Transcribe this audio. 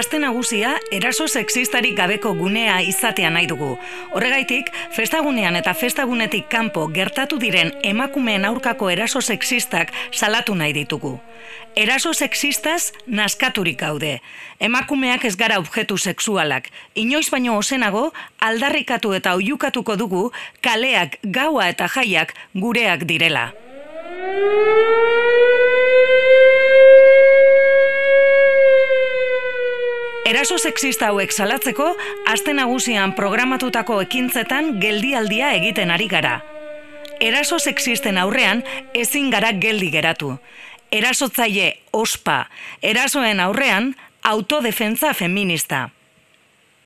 Aste nagusia eraso sexistarik gabeko gunea izatea nahi dugu. Horregaitik, festagunean eta festagunetik kanpo gertatu diren emakumeen aurkako eraso sexistak salatu nahi ditugu. Eraso sexistaz naskaturik gaude. Emakumeak ez gara objektu sexualak. Inoiz baino ozenago, aldarrikatu eta oihukatuko dugu kaleak, gaua eta jaiak gureak direla. Eraso sexista hauek salatzeko, aste nagusian programatutako ekintzetan geldialdia egiten ari gara. Eraso sexisten aurrean ezin gara geldi geratu. Erasotzaile ospa, erasoen aurrean autodefentsa feminista.